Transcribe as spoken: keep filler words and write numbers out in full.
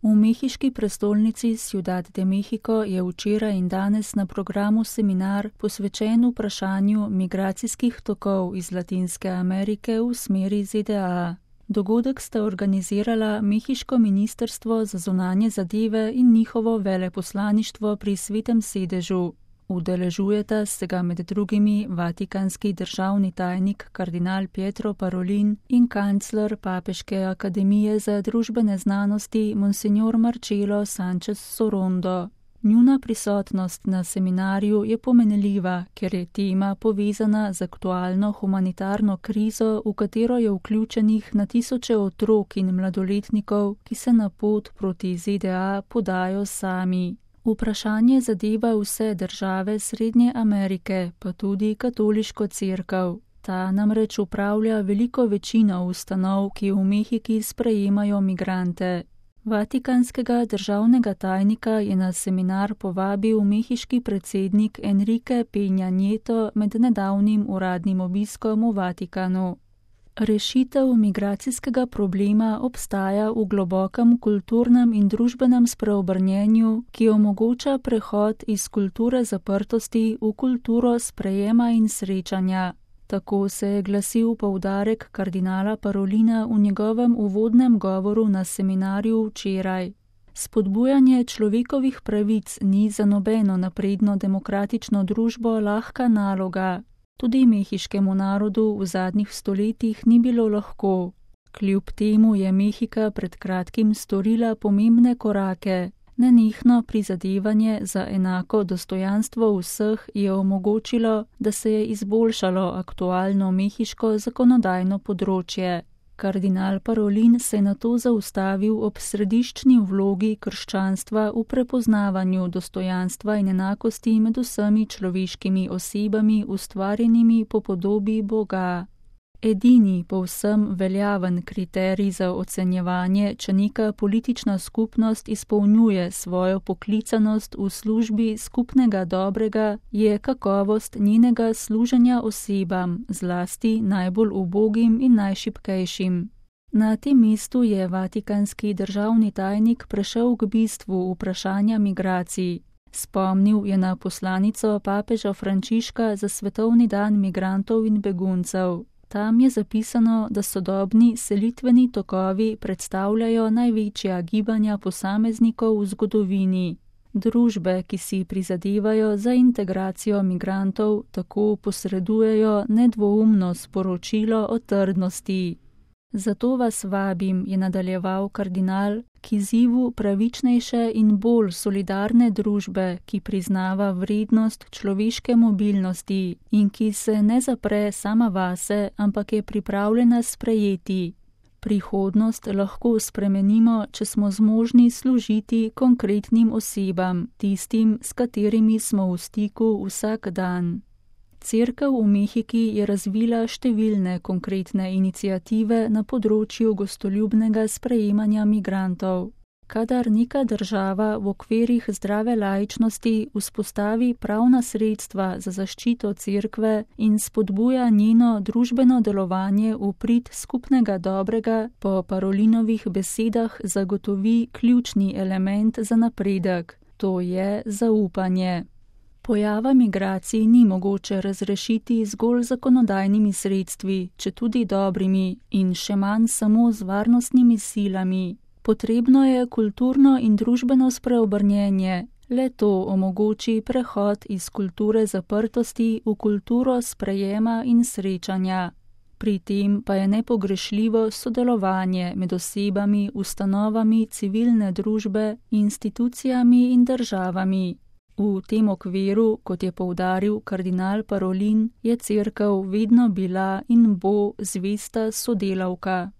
V mehiški prestolnici Ciudad de México je včeraj in danes na programu seminar posvečen vprašanju migracijskih tokov iz Latinske Amerike v smeri Z D A. Dogodek sta organizirala Mehiško ministrstvo za zunanje zadeve in njihovo veleposlaništvo pri Svetem sedežu. Udeležujeta se ga med drugimi vatikanski državni tajnik kardinal Pietro Parolin in kancler Papeške akademije za družbene znanosti Monsignor Marcelo Sanchez Sorondo. Njuna prisotnost na seminarju je pomenljiva, ker je tema povezana z aktualno humanitarno krizo, v katero je vključenih na tisoče otrok in mladoletnikov, ki se na pot proti Z D A podajo sami. Vprašanje zadeva vse države Srednje Amerike, pa tudi katoliško cerkev. Ta namreč upravlja veliko večino ustanov, ki v Mehiki sprejemajo migrante. Vatikanskega državnega tajnika je na seminar povabil mehiški predsednik Enrique Peña Nieto med nedavnim uradnim obiskom v Vatikanu. Rešitev migracijskega problema obstaja v globokem kulturnem in družbenem spreobrnjenju, ki omogoča prehod iz kulture zaprtosti v kulturo sprejema in srečanja. Tako se je glasil poudarek kardinala Parolina v njegovem uvodnem govoru na seminarju včeraj. Spodbujanje človekovih pravic ni za nobeno napredno demokratično družbo lahka naloga. Tudi mehiškemu narodu v zadnjih stoletjih ni bilo lahko. Kljub temu je Mehika pred kratkim storila pomembne korake. Nenehno prizadevanje za enako dostojanstvo vseh je omogočilo, da se je izboljšalo aktualno mehiško zakonodajno področje. Kardinal Parolin se je nato zaustavil ob središčni vlogi krščanstva v prepoznavanju dostojanstva in enakosti med vsemi človeškimi osebami ustvarjenimi po podobi Boga. Edini povsem veljaven kriterij za ocenjevanje, če neka politična skupnost izpolnjuje svojo poklicanost v službi skupnega dobrega, je kakovost njenega služenja osebam, zlasti najbolj ubogim in najšibkejšim. Na tem mestu je vatikanski državni tajnik prešel k bistvu vprašanja migracij. Spomnil je na poslanico papeža Frančiška za svetovni dan migrantov in beguncev. Tam je zapisano, da sodobni selitveni tokovi predstavljajo največja gibanja posameznikov v zgodovini. Družbe, ki si prizadevajo za integracijo migrantov, tako posredujejo nedvoumno sporočilo o trdnosti. Zato vas vabim, je nadaljeval kardinal, k izzivu pravičnejše in bolj solidarne družbe, ki priznava vrednost človeške mobilnosti in ki se ne zapre sama vase, ampak je pripravljena sprejeti. Prihodnost lahko spremenimo, če smo zmožni služiti konkretnim osebam, tistim, s katerimi smo v stiku vsak dan. Cerkev v Mehiki je razvila številne konkretne iniciative na področju gostoljubnega sprejemanja migrantov. Kadar neka država v okvirih zdrave laičnosti vzpostavi pravna sredstva za zaščito cerkve in spodbuja njeno družbeno delovanje v prid skupnega dobrega, po Parolinovih besedah zagotovi ključni element za napredek, to je zaupanje. Pojava migracij ni mogoče razrešiti zgolj zakonodajnimi sredstvi, četudi dobrimi, in še manj samo z varnostnimi silami. Potrebno je kulturno in družbeno spreobrnjenje, le to omogoči prehod iz kulture zaprtosti v kulturo sprejema in srečanja. Pri tem pa je nepogrešljivo sodelovanje med osebami, ustanovami civilne družbe, institucijami in državami. V tem okviru, kot je poudaril kardinal Parolin, je cerkev vedno bila in bo zvesta sodelavka.